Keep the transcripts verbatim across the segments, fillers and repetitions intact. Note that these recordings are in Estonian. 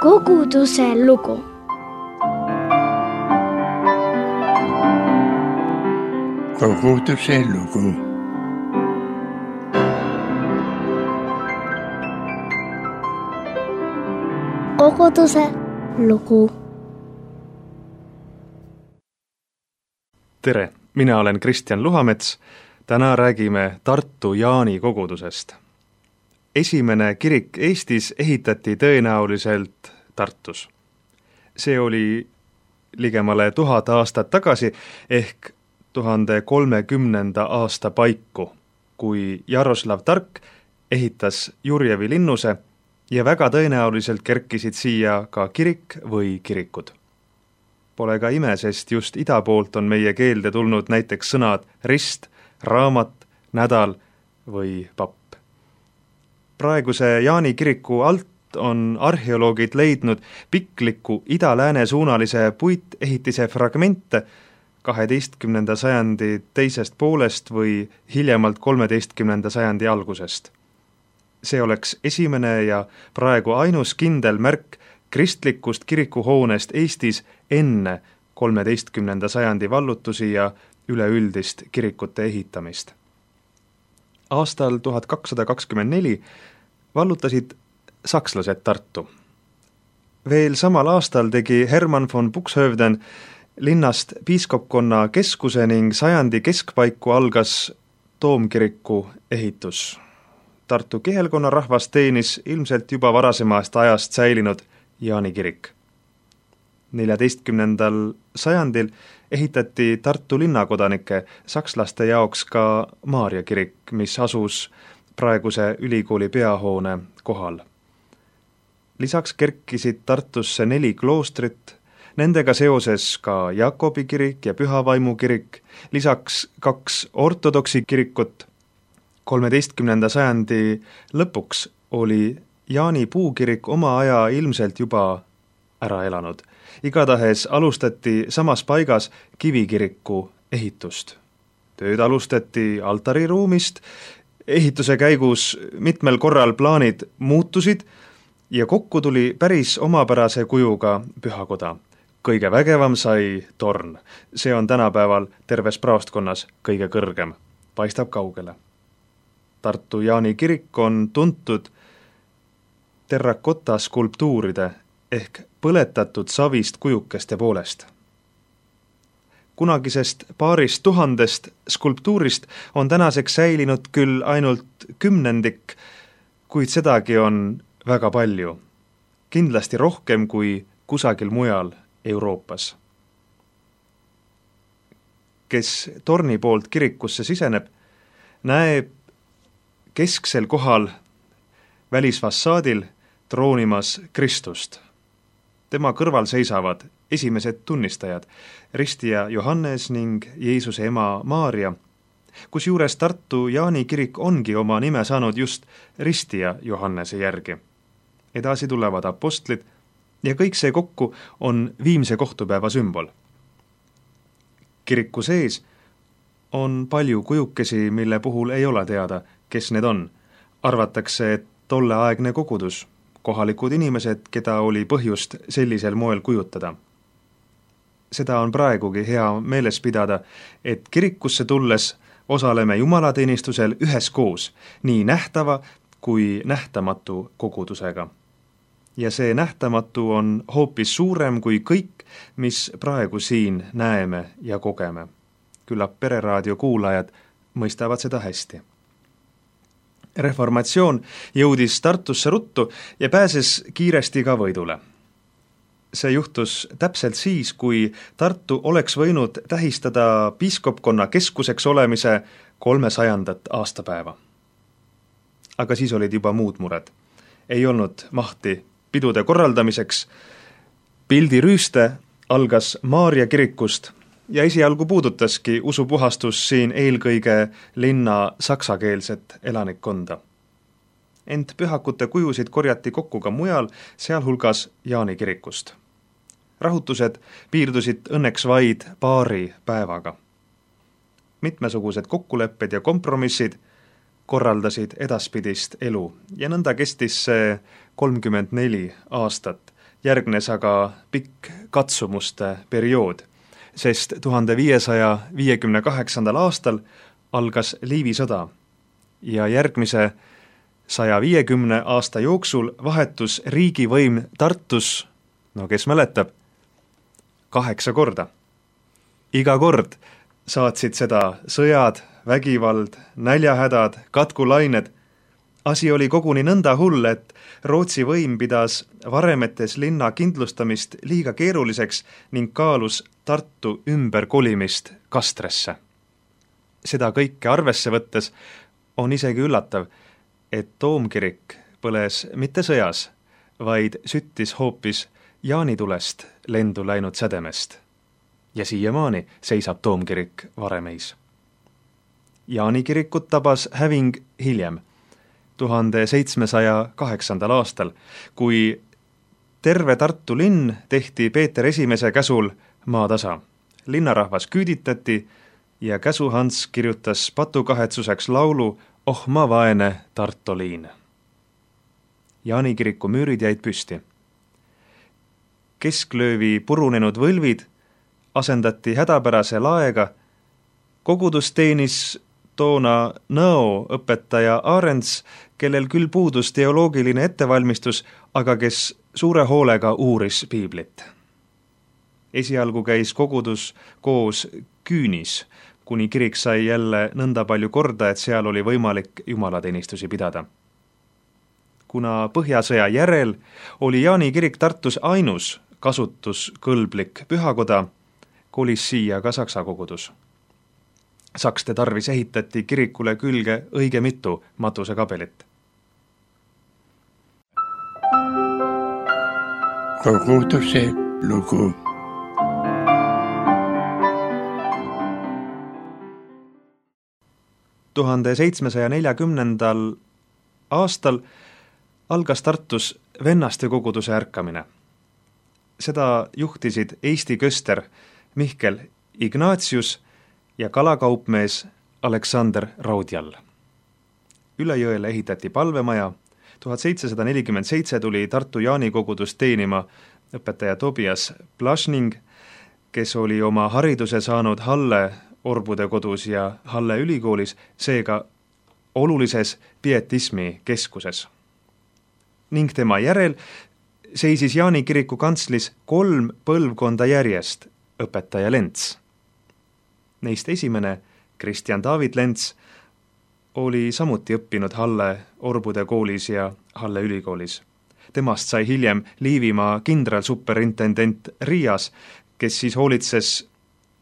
Koguduse lugu. Koguduse lugu. Koguduse lugu. Tere, mina olen Kristjan Luhamets. Täna räägime Tartu Jaani kogudusest. Esimene kirik Eestis ehitati tõenäoliselt Tartus. See oli ligemale tuhat aastat tagasi ehk tuhande kolmekümnenda aasta paiku, kui Jaroslav Tark ehitas Jurjevi linnuse ja väga tõenäoliselt kerkisid siia ka kirik või kirikud. Pole ka ime, sest just ida poolt on meie keelde tulnud näiteks sõnad rist, raamat, nädal või papp. Praeguse Jaani kiriku alt on arheoloogid leidnud pikliku ida-lääne suunalise puitehitise fragmente kaheteistkümnenda sajandi teisest poolest või hiljemalt kolmeteistkümnenda sajandi algusest. See oleks esimene ja praegu ainus kindel märk kristlikust kirikuhoonest Eestis enne kolmeteistkümnenda sajandi vallutusi ja üleüldist kirikute ehitamist. Aastal tuhat kakssada kakskümmend neli vallutasid sakslased Tartu. Veel samal aastal tegi Hermann von Buxhoevden linnast piiskopkonna keskuse ning sajandi keskpaiku algas toomkiriku ehitus. Tartu kihelkonna rahvas teenis ilmselt juba varasemast ajast säilinud Jaani kirik. neljateistkümnendal sajandil ehitati Tartu linnakodanike sakslaste jaoks ka Maarja kirik, mis asus praeguse ülikooli peahoone kohal. Lisaks kerkisid Tartusse neli kloostrit, nendega seoses ka Jakobi kirik ja Pühavaimu kirik, lisaks kaks ortodoksi kirikut. kolmeteistkümnenda sajandi lõpuks oli Jaani puukirik oma aja ilmselt juba ära elanud. Igatahes alustati samas paigas kivikiriku ehitust. Tööd alustati altariruumist, ehituse käigus mitmel korral plaanid muutusid ja kokku tuli päris omapärase kujuga pühakoda. Kõige vägevam sai torn. See on tänapäeval terves praostkonnas kõige kõrgem. Paistab kaugele. Tartu Jaani kirik on tuntud terrakotta skulptuuride ehk põletatud savist kujukeste poolest. Kunagisest paarist tuhandest skulptuurist on tänaseks säilinud küll ainult kümnendik, kuid sedagi on väga palju. Kindlasti rohkem kui kusagil mujal Euroopas. Kes torni poolt kirikusse siseneb, näeb kesksel kohal välisfassaadil troonimas Kristust. Tema kõrval seisavad esimesed tunnistajad, ristija Johannes ning Jeesuse ema Maarja, kusjuures Tartu Jaani kirik ongi oma nime saanud just ristija Johannese järgi. Edasi tulevad apostlid ja kõik see kokku on viimse kohtupäeva sümbol. Kiriku sees on palju kujukesi, mille puhul ei ole teada, kes need on. Arvatakse, et tolleaegne kogudus, kohalikud inimesed, keda oli põhjust sellisel moel kujutada. Seda on praegugi hea meeles pidada, et kirikusse tulles osaleme jumalateenistusel üheskoos, nii nähtava kui nähtamatu kogudusega. Ja see nähtamatu on hoopis suurem kui kõik, mis praegu siin näeme ja kogeme. Küllap Pereraadio kuulajad mõistavad seda hästi. Reformatsioon jõudis Tartusse ruttu ja pääses kiiresti ka võidule. See juhtus täpselt siis, kui Tartu oleks võinud tähistada piiskopkonna keskuseks olemise kolmesajandat aastapäeva. Aga siis olid juba muud mured. Ei olnud mahti pidude korraldamiseks. Pildirüüste algas Maarja kirikust ja esialgu puudutaski usupuhastus siin eelkõige linna saksakeelset elanikkonda. Ent pühakute kujusid korjati kokku ka mujal, sealhulgas Jaani kirikust. Rahutused piirdusid õnneks vaid paari päevaga. Mitmesugused kokkulepped ja kompromissid korraldasid edaspidist elu ja nõnda kestis see kolmkümmend neli aastat, järgnes aga pikk katsumuste periood, sest tuhande viiesaja viiekümne kaheksandal aastal algas Liivi sõda ja järgmise saja viiekümne aasta jooksul vahetus riigivõim Tartus, no kes mäletab, kaheksa korda. Iga kord saatsid seda sõjad, vägivald, näljahädad, katkulained. Asi oli koguni nõnda hull, et Rootsi võim pidas varemetes linna kindlustamist liiga keeruliseks ning kaalus Tartu ümberkolimist Kastresse. Seda kõike arvesse võttes on isegi üllatav, et toomkirik põles mitte sõjas, vaid süttis hoopis jaanitulest lendu läinud sädemest. Ja siiamaani seisab toomkirik Varemeis. Jaanikirikut tabas häving hiljem, tuhande seitsmesaja kaheksandal aastal, kui terve Tartu linn tehti Peeter Esimese käsul maatasa. Linnarahvas küüditati ja käsuhants kirjutas patukahetsuseks laulu Oh ma vaene Tartoliin. Jaanikiriku müürid jäid püsti. Kesklöövi purunenud võlvid asendati hädapärase laega. Kogudus teenis toona Nõo õpetaja Arends, kellel küll puudus teoloogiline ettevalmistus, aga kes suure hoolega uuris piiblit. Esialgu käis kogudus koos Küünis, kuni kirik sai jälle nõnda palju korda, et seal oli võimalik jumalateenistusi pidada. Kuna Põhjasõja järel oli Jaani kirik Tartus ainus kasutuskõlblik pühakoda, kolis siia ka Saksa kogudus. Sakste tarvis ehitati kirikule külge õige mitu matusekabelit. Koguduse lugu. tuhande seitsmesaja neljakümnendal aastal algas Tartus vennaste koguduse ärkamine. Seda juhtisid Eesti köster Mihkel Ignatius ja kalakaupmees Aleksander Raudjall. Üle jõele ehitati palvemaja, tuhat seitsesada nelikümmend seitse tuli Tartu Jaani kogudus teenima õpetaja Tobias Plašning, kes oli oma hariduse saanud Halle Orbude kodus ja Halle ülikoolis, seega olulises pietismi keskuses. Ning tema järel seisis Jaani kiriku kantslis kolm põlvkonda järjest õpetaja Lents. Neist esimene, Kristjan David Lents, oli samuti õppinud Halle Orbude koolis ja Halle ülikoolis. Temast sai hiljem Liivimaa kindralsuperintendent Riias, kes siis hoolitses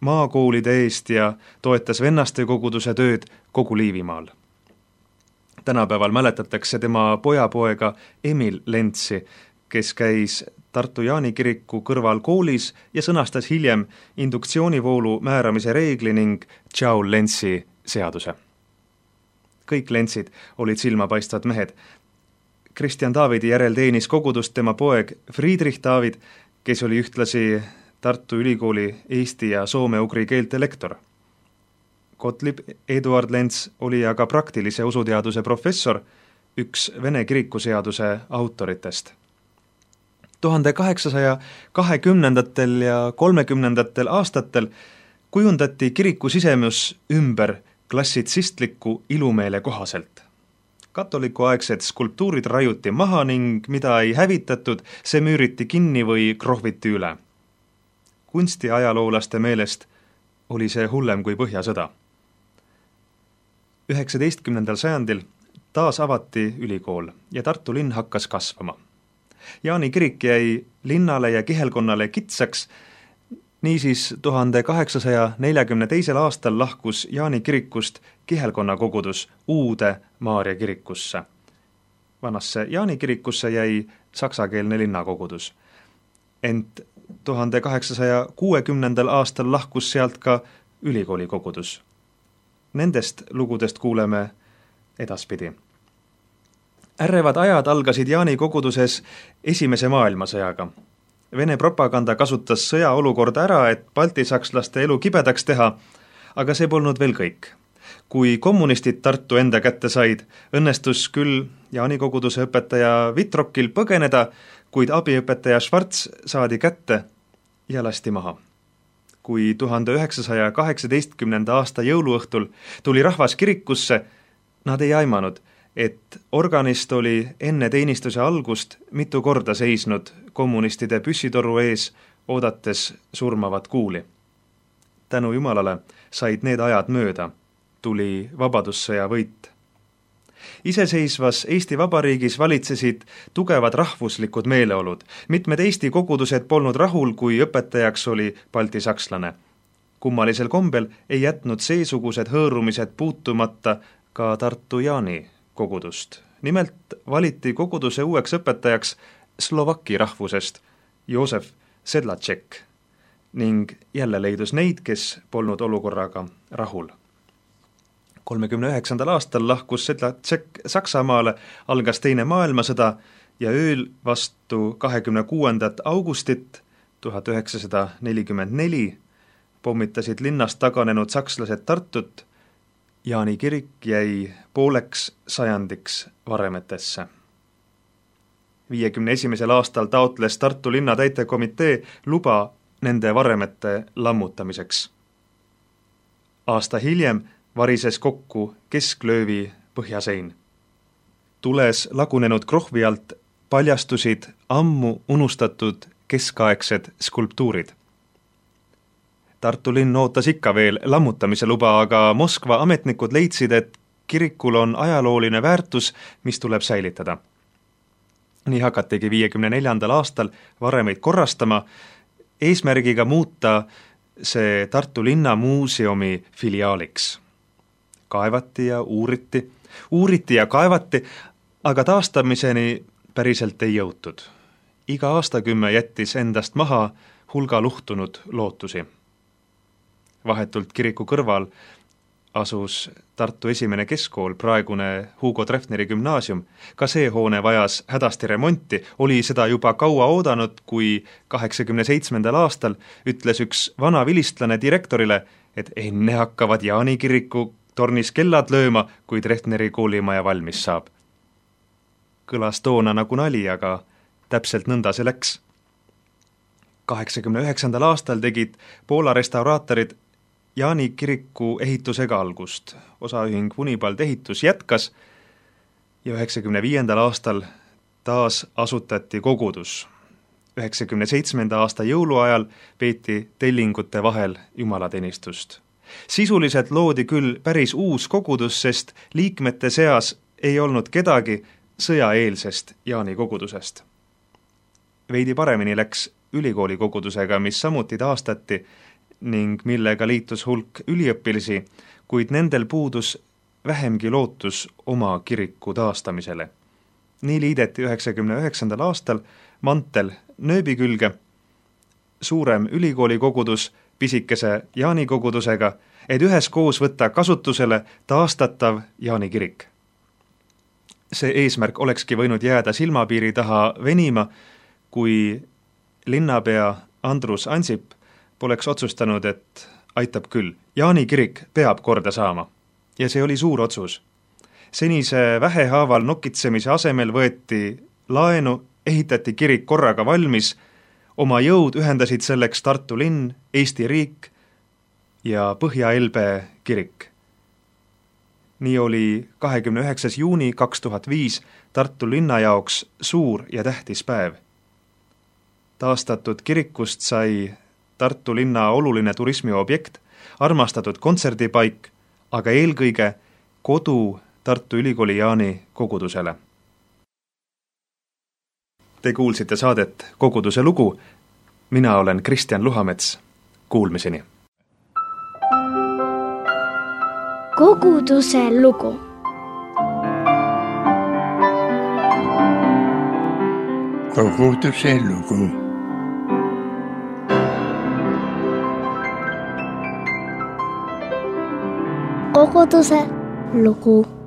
maakoolide eest ja toetas vennaste koguduse tööd kogu Liivimaal. Tänapäeval mäletatakse tema pojapoega Emil Lentsi, kes käis Tartu Jaani kiriku kõrval koolis ja sõnastas hiljem induktsioonivoolu määramise reegli ning Joule-Lentsi seaduse. Kõik Lentsid olid silmapaistvad mehed. Kristjan Davidi järel teenis kogudust tema poeg Friedrich David, kes oli ühtlasi Tartu Ülikooli eesti ja soome-ugri keelte lektor. Gottlieb Eduard Lents oli aga praktilise usuteaduse professor, üks Vene kirikuseaduse autoritest. tuhande kaheksasaja kahekümnendatel ja kolmekümnendatel aastatel kujundati kiriku sisemus ümber klassitsistliku ilumeele kohaselt. Katolikuaegsed skulptuurid raiuti maha ning mida ei hävitatud, see müüriti kinni või krohviti üle. Kunstiajaloolaste meelest oli see hullem kui Põhjasõda. üheksateistkümnendal sajandil taas avati ülikool ja Tartu linn hakkas kasvama. Jaani kirik jäi linnale ja kihelkonnale kitsaks, niisiis tuhande kaheksasaja neljakümne teisel aastal lahkus Jaani kirikust kihelkonna kogudus uude Maarja kirikusse. Vanasse Jaani kirikusse jäi saksakeelne linnakogudus. Ent tuhande kaheksasaja kuuekümnendal aastal lahkus sealt ka ülikooli kogudus. Nendest lugudest kuuleme edaspidi. Ärrevad ajad algasid Jaani koguduses esimese maailmasõjaga. Vene propaganda kasutas sõjaolukorda ära, et baltisakslaste elu kibedaks teha, aga see polnud veel kõik. Kui kommunistid Tartu enda kätte said, õnnestus küll Jaani koguduse õpetaja Vitrokil põgeneda, kuid abiõpetaja Schwarz saadi kätte ja lasti maha. Kui tuhande üheksasaja kaheksateistkümnenda aasta jõuluõhtul tuli rahvas kirikusse, nad ei aimanud, et organist oli enne teenistuse algust mitu korda seisnud kommunistide püssitoru ees, oodates surmavat kuuli. Tänu Jumalale said need ajad mööda, tuli vabadussõja võit. Iseseisvas Eesti Vabariigis valitsesid tugevad rahvuslikud meeleolud. Mitmed Eesti kogudused polnud rahul, kui õpetajaks oli baltisakslane. Kummalisel kombel ei jätnud seesugused hõõrumised puutumata ka Tartu Jaani kogudust. Nimelt valiti koguduse uueks õpetajaks slovaki rahvusest Joosef Sedlatšek ning jälle leidus neid, kes polnud olukorraga rahul. kolmekümne üheksandal aastal lahkus Sedlatšek Saksamaale, algas teine maailmasõda ja ööl vastu kahekümne kuuendat augustit tuhat üheksasada nelikümmend neli pommitasid linnast taganenud sakslased Tartut. Jaani kirik jäi pooleks sajandiks varemetesse. viiekümne esimesel aastal taotles Tartu linna täitekomitee luba nende varemete lammutamiseks. Aasta hiljem varises kokku kesklöövi põhjasein. Tules lagunenud krohvi alt paljastusid ammu unustatud keskaegsed skulptuurid. Tartu linn ootas ikka veel lammutamise luba, aga Moskva ametnikud leidsid, et kirikul on ajalooline väärtus, mis tuleb säilitada. Nii hakatigi viiekümne neljandal aastal varemeid korrastama, eesmärgiga muuta see Tartu linna muuseumi filiaaliks. Kaevati ja uuriti, uuriti ja kaevati, aga taastamiseni päriselt ei jõutud. Iga aastakümme jättis endast maha hulga luhtunud lootusi. Vahetult kiriku kõrval asus Tartu esimene keskkool, praegune Hugo Treffneri gümnaasium. Ka see hoone vajas hädasti remonti, oli seda juba kaua oodanud, kui kaheksakümne seitsmendal aastal ütles üks vana vilistlane direktorile, et enne hakkavad Jaani kiriku tornis kellad lööma, kui Treffneri koolimaja valmis saab. Kõlas toona nagu nali, aga täpselt nõnda see läks. kaheksakümne üheksandal aastal tegid Poola restauraatorid Jaani kiriku ehitusega algust. Osaühing Unibald ehitus jätkas ja üheksakümne viiendal aastal taas asutati kogudus. üheksakümne seitsmenda aasta jõuluajal peeti tellingute vahel jumalateenistust. Sisuliselt loodi küll päris uus kogudus, sest liikmete seas ei olnud kedagi sõjaeelsest Jaani kogudusest. Veidi paremini läks ülikooli kogudusega, mis samuti taastati ning millega liitus hulk üliõpilisi, kuid nendel puudus vähemgi lootus oma kiriku taastamisele. Nii liideti üheksakümne üheksandal aastal mantel nööbi külge, suurem ülikooli kogudus pisikese Jaani kogudusega, et üheskoos võtta kasutusele taastatav Jaani kirik. See eesmärk olekski võinud jääda silmapiiri taha venima, kui linnapea Andrus Ansip poleks otsustanud, et aitab küll. Jaani kirik peab korda saama. Ja see oli suur otsus. Senise vähehaaval nokitsemise asemel võeti laenu, ehitati kirik korraga valmis, oma jõud ühendasid selleks Tartu linn, Eesti riik ja Põhja-Elbe kirik. Nii oli kahekümne üheksas juuni kaks tuhat viis Tartu linna jaoks suur ja tähtis päev. Taastatud kirikust sai Tartu linna oluline turismiobjekt, armastatud kontserdipaik, aga eelkõige kodu Tartu Ülikooli Jaani kogudusele. Te kuulsite saadet Koguduse lugu. Mina olen Kristjan Luhamets. Kuulmiseni. Koguduse lugu. Koguduse lugu. Koguduse lugu.